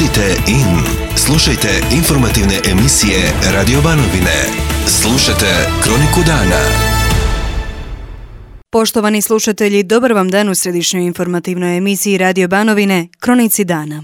Budite in. Slušajte informativne emisije Radio Banovine. Slušajte Kroniku dana. Poštovani slušatelji, dobar vam dan u središnjoj informativnoj emisiji Radio Banovine, Kronici dana.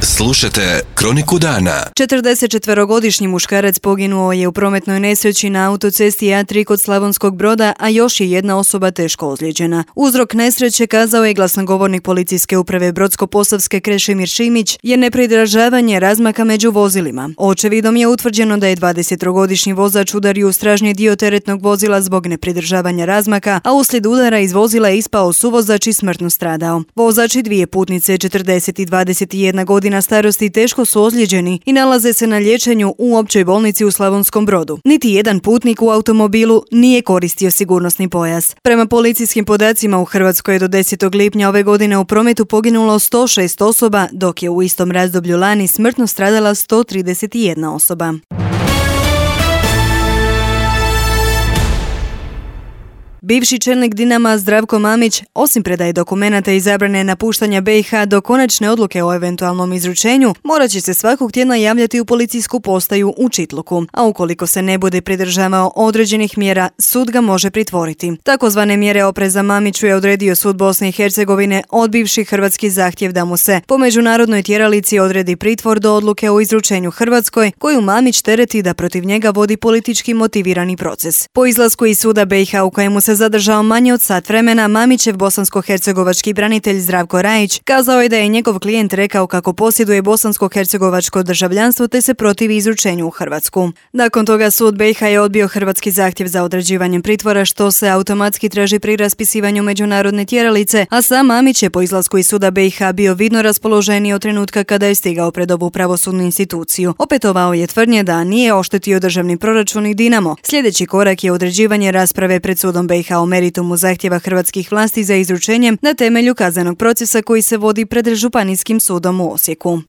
Slušajte Kroniku dana. 44-godišnji muškarac poginuo je u prometnoj nesreći na autocesti A3 kod Slavonskog Broda, a još je jedna osoba teško ozlijeđena. Uzrok nesreće, kazao je glasnogovornik policijske uprave Brodsko-posavske Krešimir Šimić, je nepridržavanje razmaka među vozilima. Očevidom je utvrđeno da je 23-godišnji vozač udario u stražnji dio teretnog vozila zbog nepridržavanja razmaka, a uslijed udara iz vozila je ispao suvozač i smrtno stradao. Vozač i dvije putnice, 40 i 21 godina starosti, teško su ozlijeđeni i nalaze se na liječenju u općoj bolnici u Slavonskom Brodu. Niti jedan putnik u automobilu nije koristio sigurnosni pojas. Prema policijskim podacima u Hrvatskoj je do 10. lipnja ove godine u prometu poginulo 106 osoba, dok je u istom razdoblju lani smrtno stradala 131 osoba. Bivši čelnik Dinama Zdravko Mamić, osim predaje dokumenata i zabrane napuštanja BiH do konačne odluke o eventualnom izručenju, morat će se svakog tjedna javljati u policijsku postaju u Čitluku, a ukoliko se ne bude pridržavao određenih mjera, sud ga može pritvoriti. Takozvane mjere opreza Mamiću je odredio sud Bosne i Hercegovine, odbivši hrvatski zahtjev da mu se po međunarodnoj tjeralici odredi pritvor do odluke o izručenju Hrvatskoj, koju Mamić tereti da protiv njega vodi politički motivirani proces. Po izlasku iz suda BiH u kojemu se zadržao manje od sat vremena, Mamićev bosansko-hercegovački branitelj Zdravko Rajić kazao je da je njegov klijent rekao kako posjeduje bosansko-hercegovačko državljanstvo te se protivi izručenju u Hrvatsku. Nakon toga sud BiH je odbio hrvatski zahtjev za određivanjem pritvora, što se automatski traži pri raspisivanju međunarodne tjeralice, a sam Mamić je po izlasku iz suda BiH bio vidno raspoloženiji od trenutka kada je stigao pred ovu pravosudnu instituciju. Opetovao je tvrdnje da nije oštetio državni proračun i Dinamo. Sljedeći korak je određivanje rasprave pred sudom BiH o meritumu zahtjeva hrvatskih vlasti za izručenjem na temelju kaznenog procesa koji se vodi pred Županijskim sudom u Osijeku.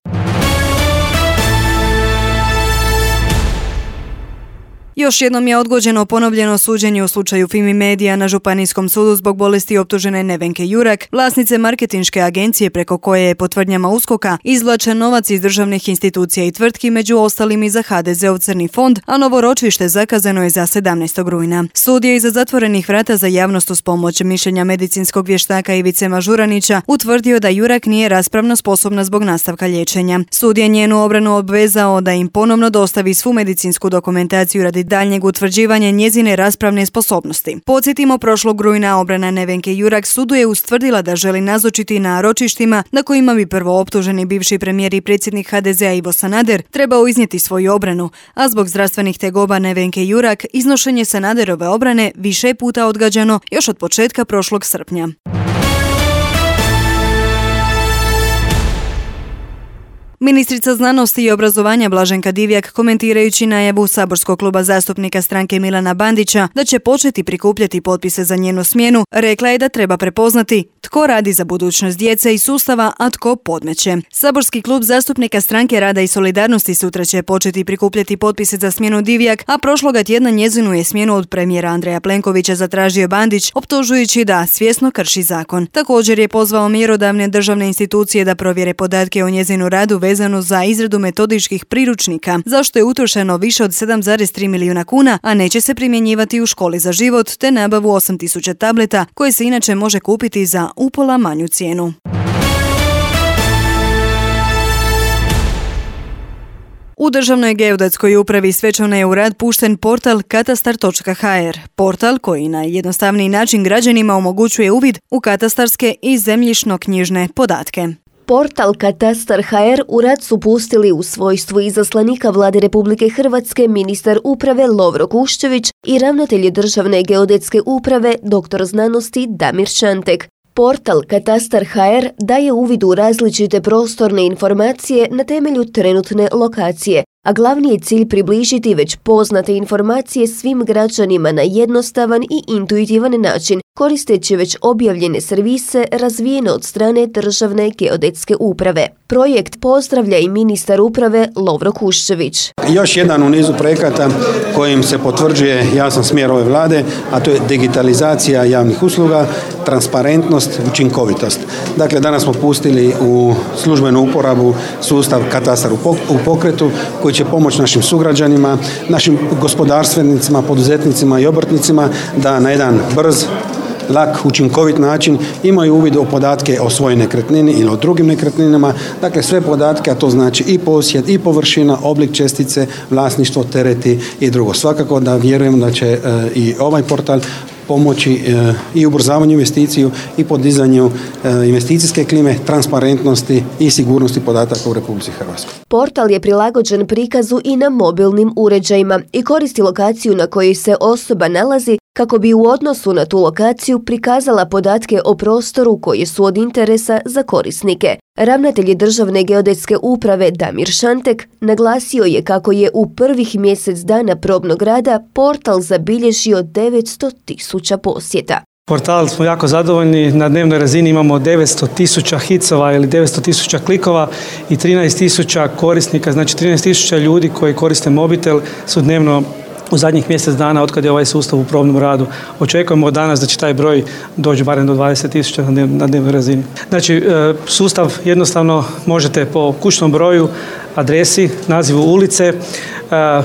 Još jednom je odgođeno ponovljeno suđenje u slučaju Fimi Media na Županijskom sudu zbog bolesti optužene Nevenke Jurak, vlasnice marketinške agencije preko koje je po tvrdnjama USKOK-a izvlačen novac iz državnih institucija i tvrtki, među ostalim i za HDZ-ov crni fond, a novo ročište zakazano je za 17. rujna. Sud je iza zatvorenih vrata za javnost uz pomoć mišljenja medicinskog vještaka Ivice Mažuranića utvrdio da Jurak nije raspravno sposobna zbog nastavka liječenja. Sud je njenu obranu obvezao da im ponovno dostavi svu medicinsku dokumentaciju radi daljnjeg utvrđivanja njezine raspravne sposobnosti. Podsjetimo, prošlog rujna obrana Nevenke Jurak sudu je ustvrdila da želi nazočiti na ročištima na kojima bi prvo optuženi bivši premijer i predsjednik HDZ-a Ivo Sanader trebao iznijeti svoju obranu, a zbog zdravstvenih tegoba Nevenke Jurak iznošenje Sanaderove obrane više je puta odgađano još od početka prošlog srpnja. Ministrica znanosti i obrazovanja Blaženka Divjak, komentirajući najavu saborskog kluba zastupnika stranke Milana Bandića da će početi prikupljati potpise za njenu smjenu, rekla je da treba prepoznati tko radi za budućnost djece i sustava, a tko podmeće. Saborski klub zastupnika stranke Rada i solidarnosti sutra će početi prikupljati potpise za smjenu Divjak, a prošloga tjedna njezinu je smjenu od premijera Andreja Plenkovića zatražio Bandić, optužujući da svjesno krši zakon. Također je pozvao mjerodavne državne institucije da provjere podatke o njezinu radu vezano za izradu metodičkih priručnika, zašto je utrošeno više od 7,3 milijuna kuna, a neće se primjenjivati u školi za život, te nabavu 8.000 tableta, koje se inače može kupiti za upola manju cijenu. U Državnoj geodetskoj upravi svečano je u rad pušten portal katastar.hr, portal koji na jednostavniji način građanima omogućuje uvid u katastarske i zemljišno-knjižne podatke. Portal Katastar.hr u rad su pustili u svojstvu izaslanika Vlade Republike Hrvatske ministar uprave Lovro Kuščević i ravnatelj Državne geodetske uprave dr. znanosti Damir Šantek. Portal Katastar.hr daje uvid u različite prostorne informacije na temelju trenutne lokacije, a glavni je cilj približiti već poznate informacije svim građanima na jednostavan i intuitivan način, koristeći već objavljene servise razvijene od strane Državne geodetske uprave. Projekt pozdravlja i ministar uprave Lovro Kuščević. Još jedan u nizu projekata kojim se potvrđuje jasan smjer ove vlade, a to je digitalizacija javnih usluga, transparentnost, učinkovitost. Dakle, danas smo pustili u službenu uporabu sustav katastar u pokretu koji će pomoći našim sugrađanima, našim gospodarstvenicima, poduzetnicima i obrtnicima da na jedan brz, lak, učinkovit način imaju uvid u podatke o svojoj nekretnini ili o drugim nekretninama. Dakle, sve podatke, a to znači i posjed, i površina, oblik čestice, vlasništvo, tereti i drugo. Svakako da vjerujem da će i ovaj portal pomoći i ubrzavanju investiciju i podizanju investicijske klime, transparentnosti i sigurnosti podataka u Republici Hrvatskoj. Portal je prilagođen prikazu i na mobilnim uređajima i koristi lokaciju na kojoj se osoba nalazi kako bi u odnosu na tu lokaciju prikazala podatke o prostoru koji su od interesa za korisnike. Ravnatelj Državne geodetske uprave Damir Šantek naglasio je kako je u prvih mjesec dana probnog rada portal zabilježio 900.000 posjeta. Portal smo jako zadovoljni, na dnevnoj razini imamo 900.000 hicova ili 900.000 klikova i 13.000 korisnika, znači 13.000 ljudi koji koriste mobitel su dnevno u zadnjih mjesec dana otkad je ovaj sustav u probnom radu. Očekujemo od danas da će taj broj doći barem do 20.000 na dnevnoj razini. Znači, sustav jednostavno možete po kućnom broju, adresi, nazivu ulice,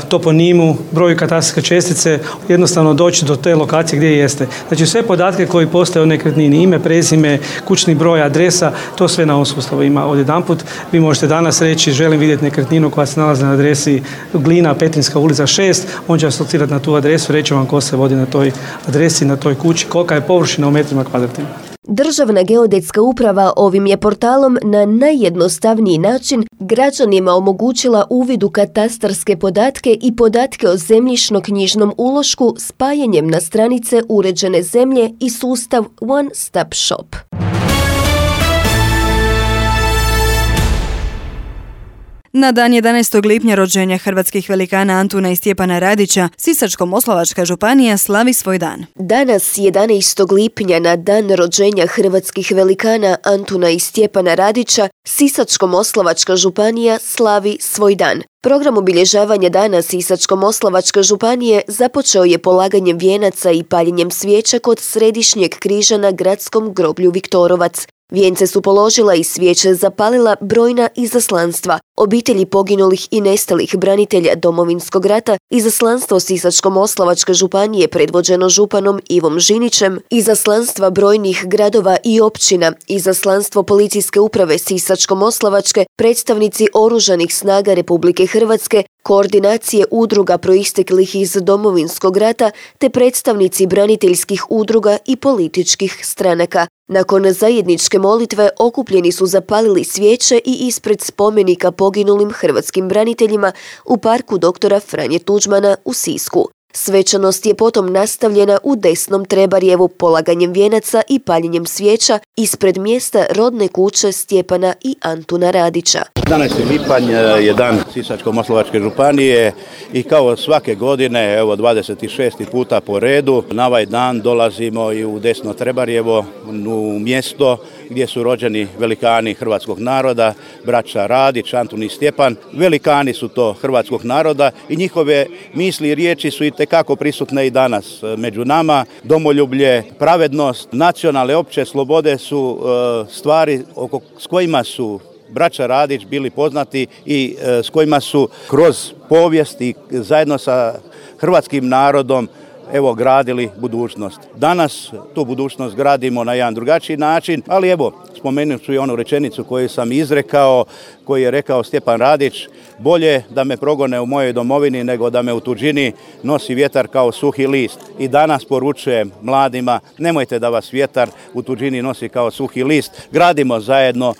toponimu, broju katastarske čestice jednostavno doći do te lokacije gdje jeste. Znači sve podatke koji postoje o nekretnini, ime, prezime, kućni broj, adresa, to sve na ovom sustavu ima odjedanput. Vi možete danas reći želim vidjeti nekretninu koja se nalazi na adresi Glina, Petrinjska ulica 6, on će vas locirati na tu adresu, reći vam ko se vodi na toj adresi, na toj kući, kolika je površina u metrima kvadratnim. Državna geodetska uprava ovim je portalom na najjednostavniji način građanima omogućila uvid u katastarske podatke i podatke o zemljišno-knjižnom ulošku spajanjem na stranice uređene zemlje i sustav One Stop Shop. Na dan 11. lipnja rođenja hrvatskih velikana Antuna i Stjepana Radića, Sisačko-moslavačka županija slavi svoj dan. Danas, 11. lipnja, na dan rođenja hrvatskih velikana Antuna i Stjepana Radića, Sisačko-moslavačka županija slavi svoj dan. Program obilježavanja dana Sisačko-moslavačke županije započeo je polaganjem vijenaca i paljenjem svijeća kod središnjeg križa na gradskom groblju Viktorovac. Vijence su položila i svijeće zapalila brojna izaslanstva, obitelji poginulih i nestalih branitelja Domovinskog rata, izaslanstvo Sisačko-moslavačke županije predvođeno županom Ivom Žinićem, izaslanstva brojnih gradova i općina, izaslanstvo policijske uprave Sisačko-moslavačke, predstavnici Oružanih snaga Republike Hrvatske, koordinacije udruga proisteklih iz Domovinskog rata te predstavnici braniteljskih udruga i političkih stranaka. Nakon zajedničke molitve okupljeni su zapalili svijeće i ispred spomenika poginulim hrvatskim braniteljima u parku doktora Franje Tuđmana u Sisku. Svečanost je potom nastavljena u Desnom Trebarjevu polaganjem vijenaca i paljenjem svijeća ispred mjesta rodne kuće Stjepana i Antuna Radića. 11. lipanj je dan Sisačko-moslavačke županije i kao svake godine, evo 26. puta po redu, na ovaj dan dolazimo i u Desno Trebarjevo, u mjesto gdje su rođeni velikani hrvatskog naroda, braća Radić, Antun i Stjepan. Velikani su to hrvatskog naroda i njihove misli i riječi su itekako prisutne i danas među nama. Domoljublje, pravednost, nacionalne opće slobode su stvari s kojima su braća Radić bili poznati i s kojima su kroz povijest i zajedno sa hrvatskim narodom gradili budućnost. Danas tu budućnost gradimo na jedan drugačiji način, ali spomenut ću i onu rečenicu koju sam izrekao, koju je rekao Stjepan Radić: bolje da me progone u mojoj domovini nego da me u tuđini nosi vjetar kao suhi list. I danas poručujem mladima, nemojte da vas vjetar u tuđini nosi kao suhi list. Gradimo zajedno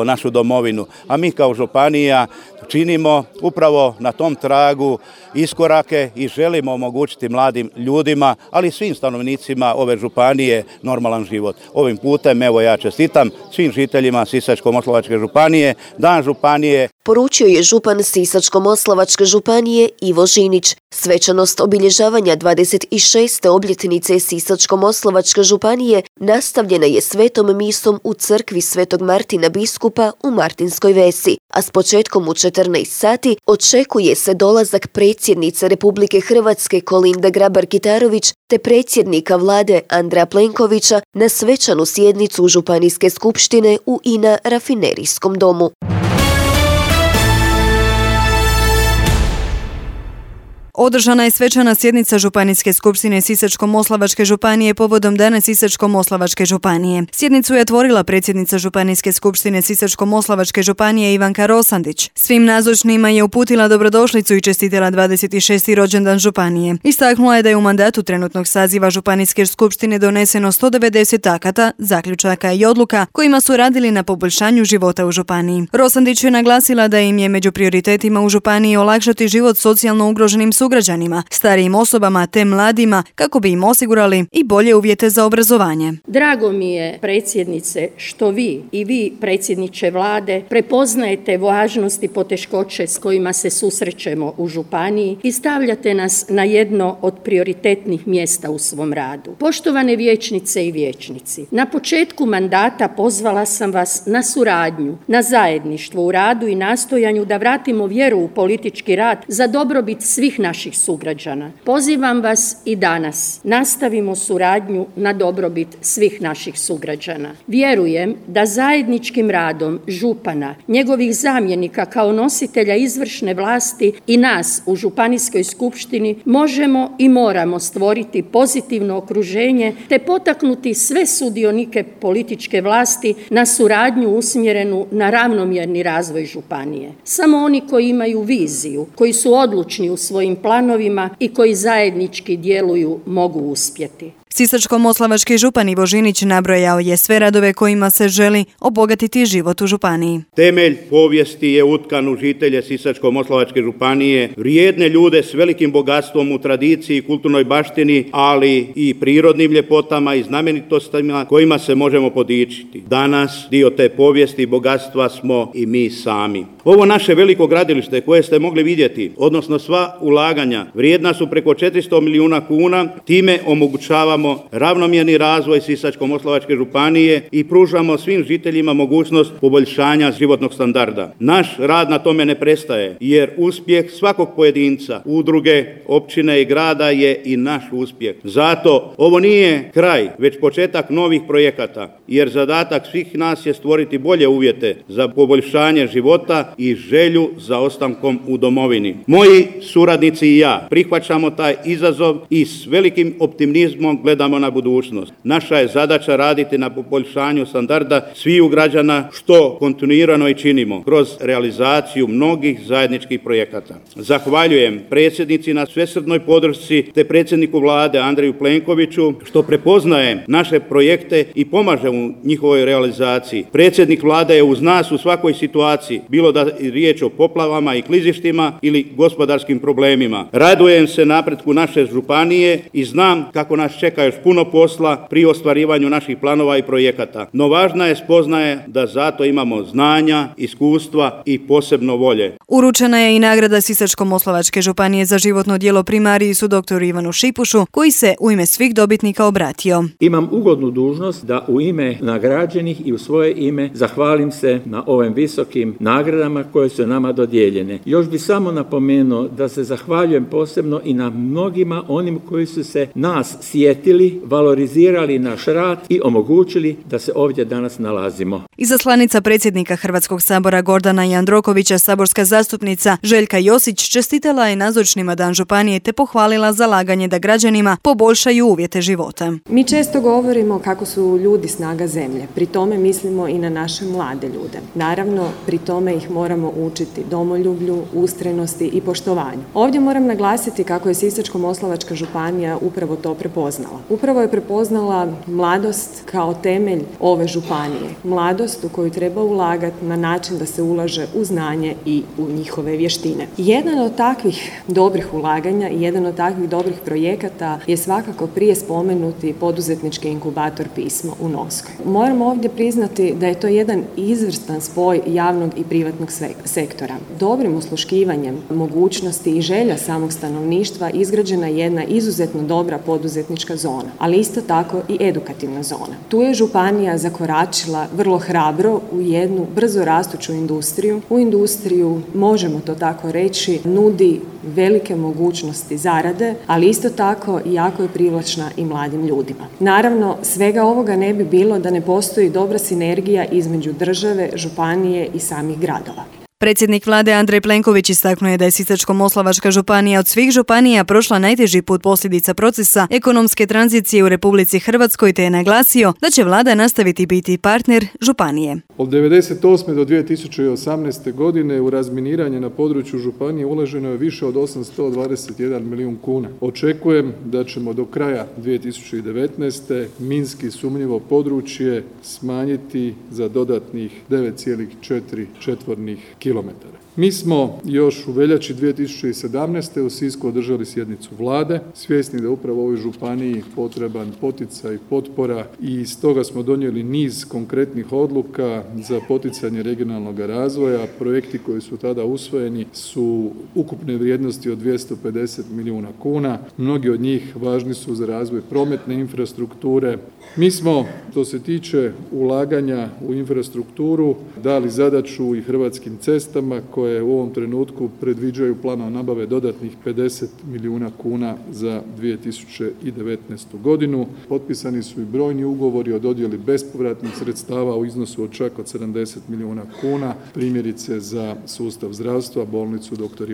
našu domovinu. A mi kao županija činimo upravo na tom tragu iskorake i želimo omogućiti mladim ljudima, ali i svim stanovnicima ove županije normalan život. Ovim putem ja čestitam svim žiteljima Sisačko-moslavačke županije, dan županije. poručio je župan Sisačko-moslavačke županije Ivo Žinić. Svečanost obilježavanja 26. obljetnice Sisačko-moslavačke županije nastavljena je svetom misom u crkvi Svetog Martina biskupa u Martinskoj Vesi, a s početkom u 14 sati očekuje se dolazak predsjednice Republike Hrvatske Kolinde Grabar-Kitarović te predsjednika vlade Andreja Plenkovića na svečanu sjednicu Županijske skupštine u INA rafinerijskom domu. Održana je svečana sjednica Županijske skupštine Sisačko-moslavačke županije povodom Dana Sisačko-moslavačke županije. Sjednicu je otvorila predsjednica Županijske skupštine Sisačko-moslavačke županije Ivanka Rosandić. Svim nazočnima je uputila dobrodošlicu i čestitala 26. rođendan županije. Istaknula je da je u mandatu trenutnog saziva Županijske skupštine doneseno 190 akata, zaključaka i odluka kojima su radili na poboljšanju života u županiji. Rosandić je naglasila da im je među prioritetima u županiji olakšati život socijalno ugroženim sugrađanima, starijim osobama te mladima kako bi im osigurali i bolje uvjete za obrazovanje. Drago mi je, predsjednice, što vi i vi, predsjedniče vlade, prepoznajete važnost i poteškoće s kojima se susrećemo u županiji i stavljate nas na jedno od prioritetnih mjesta u svom radu. Poštovane vijećnice i vijećnici, na početku mandata pozvala sam vas na suradnju, na zajedništvo u radu i nastojanju da vratimo vjeru u politički rad za dobrobit svih naših sugrađana. Pozivam vas i danas. Nastavimo suradnju na dobrobit svih naših sugrađana. Vjerujem da zajedničkim radom župana, njegovih zamjenika kao nositelja izvršne vlasti i nas u Županijskoj skupštini možemo i moramo stvoriti pozitivno okruženje te potaknuti sve sudionike političke vlasti na suradnju usmjerenu na ravnomjerni razvoj županije. Samo oni koji imaju viziju, koji su odlučni u svojim planovima i koji zajednički djeluju mogu uspjeti. Sisačko-moslavački župan Ivo Žinić nabrojao je sve radove kojima se želi obogatiti život u županiji. Temelj povijesti je utkan u žitelje Sisačko-moslavačke županije, vrijedne ljude s velikim bogatstvom u tradiciji i kulturnoj baštini, ali i prirodnim ljepotama i znamenitostima kojima se možemo podičiti. Danas dio te povijesti i bogatstva smo i mi sami. Ovo naše veliko gradilište koje ste mogli vidjeti, odnosno sva ulaganja, vrijedna su preko 400 milijuna kuna, time omogućavamo ravnomjerni razvoj Sisačko-moslavačke županije i pružamo svim žiteljima mogućnost poboljšanja životnog standarda. Naš rad na tome ne prestaje, jer uspjeh svakog pojedinca, udruge, općine i grada je i naš uspjeh. Zato ovo nije kraj, već početak novih projekata, jer zadatak svih nas je stvoriti bolje uvjete za poboljšanje života i želju za ostankom u domovini. Moji suradnici i ja prihvaćamo taj izazov i s velikim optimizmom gledamo na budućnost. Naša je zadaća raditi na poboljšanju standarda sviju građana, što kontinuirano i činimo kroz realizaciju mnogih zajedničkih projekata. Zahvaljujem predsjednici na svesrdnoj podršci te predsjedniku vlade Andreju Plenkoviću što prepoznaje naše projekte i pomaže u njihovoj realizaciji. Predsjednik vlade je uz nas u svakoj situaciji, bilo da je riječ o poplavama i klizištima ili gospodarskim problemima. Radujem se napretku naše županije i znam kako nas čeka još puno posla pri ostvarivanju naših planova i projekata. No važna je spoznaje da zato imamo znanja, iskustva i posebno volje. Uručena je i nagrada Sisačko-moslavačke županije za životno djelo primarijusu dr. Ivanu Šipušu, koji se u ime svih dobitnika obratio. Imam ugodnu dužnost da u ime nagrađenih i u svoje ime zahvalim se na ovim visokim nagradama koje su nama dodijeljene. Još bi samo napomenuo da se zahvaljujem posebno i na mnogima onim koji su se nas sjetili, valorizirali naš rad i omogućili da se ovdje danas nalazimo. Izaslanica predsjednika Hrvatskog sabora Gordana Jandrokovića, saborska zastupnica Željka Josić, čestitala je nazočnima Dan županije te pohvalila zalaganje da građanima poboljšaju uvjete života. Mi često govorimo kako su ljudi snaga zemlje, pri tome mislimo i na naše mlade ljude. Naravno, pri tome ih moramo učiti domoljublju, ustrajnosti i poštovanju. Ovdje moram naglasiti kako je Sisačko-moslavačka županija upravo to prepoznala. prepoznala? Upravo je prepoznala mladost kao temelj ove županije. Mladost u koju treba ulagati na način da se ulaže u znanje i u njihove vještine. Jedan od takvih dobrih ulaganja i jedan od takvih dobrih projekata je svakako prije spomenuti poduzetnički inkubator Pismo u Novskoj. Moram ovdje priznati da je to jedan izvrstan spoj javnog i privatnog sektora. Dobrim usluškivanjem mogućnosti i želja samog stanovništva izgrađena je jedna izuzetno dobra poduzetnička zona, ali isto tako i edukativna zona. Tu je županija zakoračila vrlo hrabro u jednu brzo rastuću industriju. U industriju, možemo to tako reći, nudi velike mogućnosti zarade, ali isto tako jako je privlačna i mladim ljudima. Naravno, svega ovoga ne bi bilo da ne postoji dobra sinergija između države, županije i samih gradova. Predsjednik vlade Andrej Plenković istaknuo je da je Sisačko-moslavačka županija od svih županija prošla najteži put posljedica procesa ekonomske tranzicije u Republici Hrvatskoj, te je naglasio da će vlada nastaviti biti partner županije. Od 1998. do 2018. godine u razminiranje na području županije uloženo je više od 821 milijun kuna. Očekujem da ćemo do kraja 2019. minski sumnjivo područje smanjiti za dodatnih 9,4 četvornih kilometara. Mi smo još u veljači 2017. u Sisku održali sjednicu vlade, svjesni da je upravo ovoj županiji potreban poticaj i potpora i stoga smo donijeli niz konkretnih odluka za poticanje regionalnog razvoja. Projekti koji su tada usvojeni su ukupne vrijednosti od 250 milijuna kuna. Mnogi od njih važni su za razvoj prometne infrastrukture. Mi smo, što se tiče ulaganja u infrastrukturu, dali zadaću i Hrvatskim cestama koje u ovom trenutku predviđaju planom nabave dodatnih 50 milijuna kuna za 2019. godinu. Potpisani su i brojni ugovori o dodjeli bespovratnih sredstava u iznosu od čak od 70 milijuna kuna, primjerice za sustav zdravstva, bolnicu dr.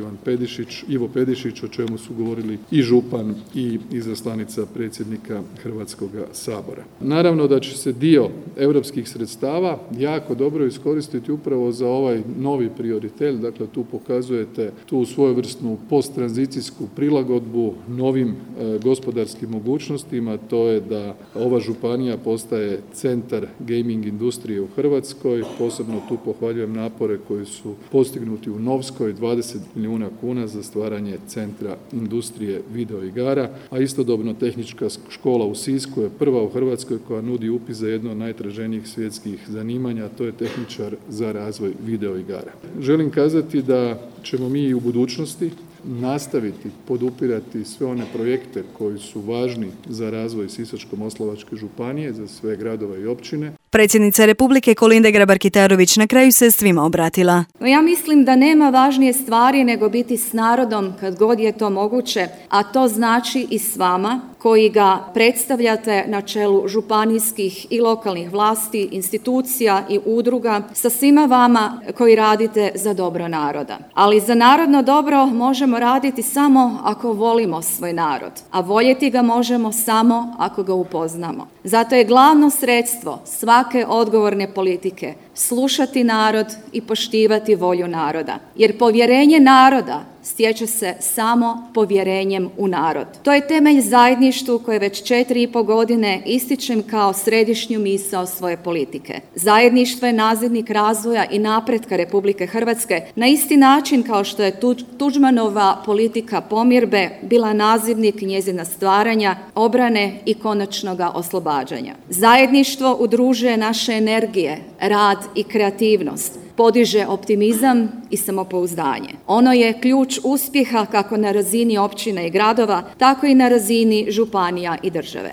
Ivo Pedišić, o čemu su govorili i župan i izaslanica predsjednika Hrvatskog sabora. Naravno da će se dio europskih sredstava jako dobro iskoristiti upravo za ovaj novi prioritet. Dakle, tu pokazujete tu svojevrsnu posttranzicijsku prilagodbu novim gospodarskim mogućnostima. To je da ova županija postaje centar gaming industrije u Hrvatskoj. Posebno tu pohvaljujem napore koji su postignuti u Novskoj, 20 milijuna kuna za stvaranje centra industrije videoigara, a istodobno tehnička škola u Sisku je prva u Hrvatskoj koja nudi upis za jedno od najtraženijih svjetskih zanimanja, to je tehničar za razvoj videoigara. Želim kazati da ćemo mi i u budućnosti nastaviti podupirati sve one projekte koji su važni za razvoj Sisačko-moslavačke županije, za sve gradove i općine. Predsjednica Republike Kolinda Grabar-Kitarović na kraju se svima obratila. Ja mislim da nema važnije stvari nego biti s narodom kad god je to moguće, a to znači i s vama koji ga predstavljate na čelu županijskih i lokalnih vlasti, institucija i udruga, sa svima vama koji radite za dobro naroda. Ali za narodno dobro možemo raditi samo ako volimo svoj narod, a voljeti ga možemo samo ako ga upoznamo. Zato je glavno sredstvo svake odgovorne politike slušati narod i poštivati volju naroda. Jer povjerenje naroda stječe se samo povjerenjem u narod. To je temelj zajedništvu koje već 4,5 godine ističem kao središnju misao svoje politike. Zajedništvo je nazivnik razvoja i napretka Republike Hrvatske na isti način kao što je Tuđmanova politika pomirbe bila nazivnik njezina stvaranja, obrane i konačnoga oslobađanja. Zajedništvo udružuje naše energije, rad i kreativnost, podiže optimizam i samopouzdanje. Ono je ključ uspjeha kako na razini općina i gradova, tako i na razini županija i države.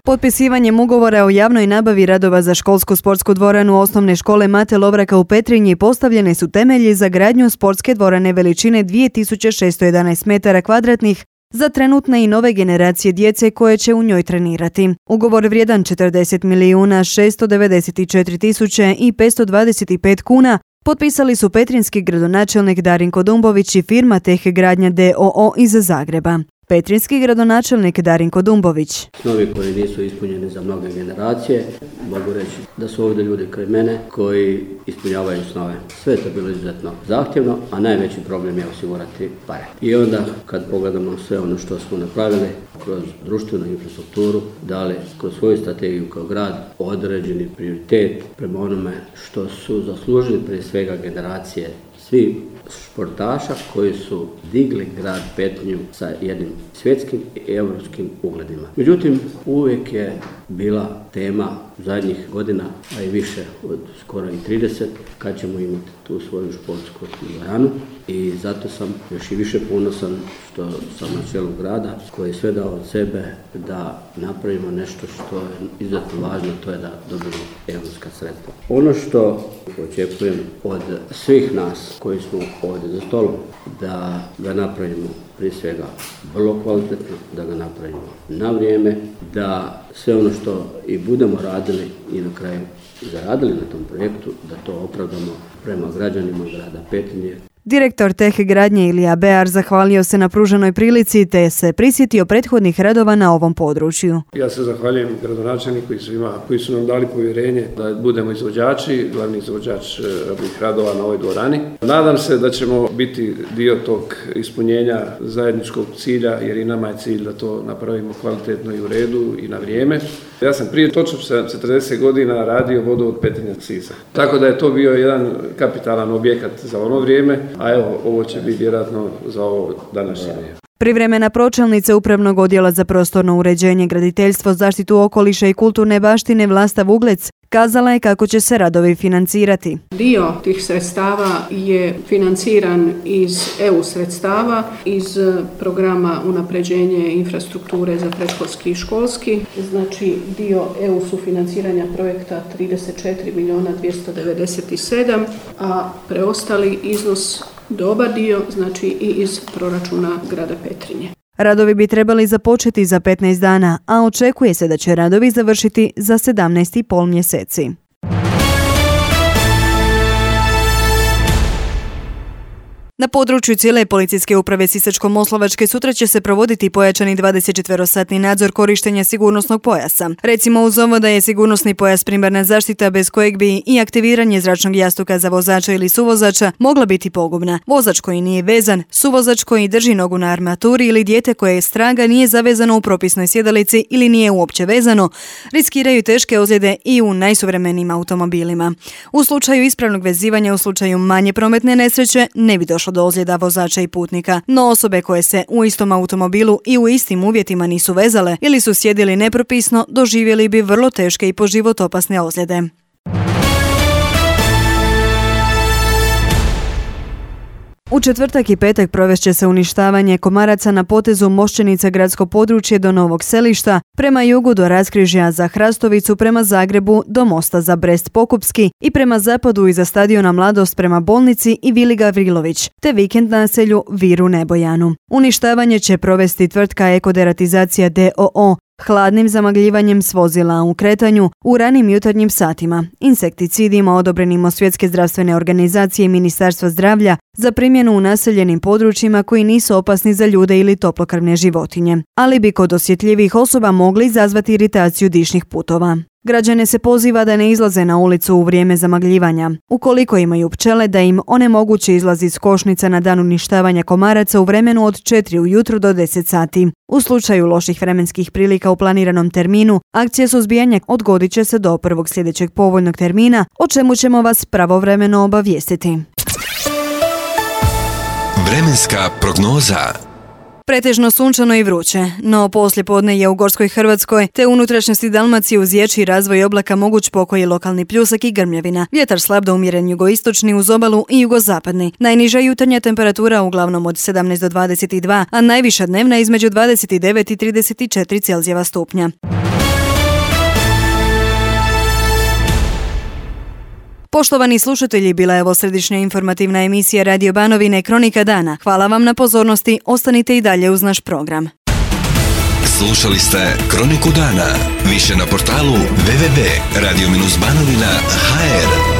Potpisivanjem ugovora o javnoj nabavi radova za školsku sportsku dvoranu osnovne škole Mate Lovraka u Petrinji postavljene su temelji za gradnju sportske dvorane veličine 2611 metara kvadratnih za trenutne i nove generacije djece koje će u njoj trenirati. Ugovor vrijedan 40.694.525 kuna potpisali su petrinjski gradonačelnik Darinko Dumbović i firma Teh Gradnja d.o.o. iz Zagreba. Petrinjski gradonačelnik Darinko Dumbović. Snovi koji nisu ispunjeni za mnoge generacije. mogu reći da su ovdje ljudi kraj mene koji ispunjavaju snove. Sve je to bilo izuzetno zahtjevno, a najveći problem je osigurati pare. I onda kad pogledamo sve ono što smo napravili kroz društvenu infrastrukturu, dali kroz svoju strategiju kao grad određeni prioritet prema onome što su zaslužili prije svega generacije svi športaša koji su digli grad Petrinju sa jednim svjetskim i europskim ugledima. Međutim, uvijek je bila tema zadnjih godina, a i više od skoro i 30, kad ćemo imati tu svoju športsku dvoranu i zato sam još i više ponosan što sam na čelu grada koji je sve dao od sebe da napravimo nešto što je izuzetno važno, to je da dobijemo europska sredstva. Ono što očekujem od svih nas koji smo ovdje za stolom, da ga napravimo prije svega vrlo kvalitetno, da ga napravimo na vrijeme, da sve ono što i budemo radili i na kraju zaradili na tom projektu, da to opravdamo prema građanima grada Petrinje. Direktor TEH gradnje Ilija Bear zahvalio se na pruženoj prilici te se prisjetio prethodnih radova na ovom području. Ja se zahvaljujem gradonačelniku i svima koji su nam dali povjerenje da budemo izvođači, glavni izvođač radnih radova na ovoj dvorani. Nadam se da ćemo biti dio tog ispunjenja zajedničkog cilja, jer i nama je cilj da to napravimo kvalitetno i u redu i na vrijeme. Ja sam prije točno 40 godina radio vodovod Petrinja-Sisak. Tako da je to bio jedan kapitalan objekat za ono vrijeme, a evo, ovo će biti vjerojatno za ovo današnje vrijeme. Privremena pročelnica Upravnog odjela za prostorno uređenje, graditeljstvo, zaštitu okoliša i kulturne baštine Vlasta Vuglec kazala je kako će se radovi financirati. Dio tih sredstava je financiran iz EU sredstava, iz programa unapređenje infrastrukture za predškolski i školski. Znači dio EU sufinanciranja projekta 34.297.000, a preostali iznos dobar dio, znači i iz proračuna grada Petrinje. Radovi bi trebali započeti za 15 dana, a očekuje se da će radovi završiti za 17,5 mjeseci. Na području cijele policijske uprave Sisačko-moslavačke sutra će se provoditi pojačani 24-satni nadzor korištenja sigurnosnog pojasa. Recimo uz ovo da je sigurnosni pojas primarna zaštita bez kojeg bi i aktiviranje zračnog jastuka za vozača ili suvozača mogla biti pogubna. Vozač koji nije vezan, suvozač koji drži nogu na armaturi ili dijete koje je straga nije zavezano u propisnoj sjedalici ili nije uopće vezano, riskiraju teške ozljede i u najsuvremenijim automobilima. U slučaju ispravnog vezivanja u slučaju manje prometne nesreće ne bi došlo do ozljeda vozača i putnika, no osobe koje se u istom automobilu i u istim uvjetima nisu vezale ili su sjedili nepropisno doživjeli bi vrlo teške i po život opasne ozljede. U četvrtak i petak provest će se uništavanje komaraca na potezu Mošćenica gradsko područje do Novog Selišta, prema jugu do raskrižja za Hrastovicu, prema Zagrebu do mosta za Brest Pokupski i prema zapadu iza stadiona Mladost prema bolnici i Vili Gavrilović, te vikend naselju Viru Nebojanu. Uništavanje će provesti tvrtka Ekoderatizacija d.o.o. hladnim zamagljivanjem s vozila u kretanju u ranim jutarnjim satima, insekticidima odobrenim od Svjetske zdravstvene organizacije i Ministarstva zdravlja za primjenu u naseljenim područjima koji nisu opasni za ljude ili toplokrvne životinje, ali bi kod osjetljivih osoba mogli izazvati iritaciju dišnih putova. Građane se poziva da ne izlaze na ulicu u vrijeme zamagljivanja. Ukoliko imaju pčele, da im onemoguće izlaz iz košnica na dan uništavanja komaraca u vremenu od 4 ujutro do 10 sati. U slučaju loših vremenskih prilika u planiranom terminu, akcija suzbijanja odgodit će se do prvog sljedećeg povoljnog termina, o čemu ćemo vas pravovremeno obavijestiti. Vremenska prognoza. Pretežno sunčano i vruće, no poslijepodne je u Gorskoj Hrvatskoj te unutrašnjosti Dalmacije uz dječji razvoj oblaka moguć pokoji lokalni pljusak i grmljavina. Vjetar slab do umjeren jugoistočni uz obalu i jugozapadni. Najniža jutarnja temperatura uglavnom od 17 do 22, a najviša dnevna između 29 i 34 Celzijeva stupnja. Poštovani slušatelji, bila je ovo središnja informativna emisija Radio Banovine Kronika dana. Hvala vam na pozornosti, ostanite i dalje uz naš program. Slušali ste Kroniku dana. Više na portalu www.radio-banovina.hr.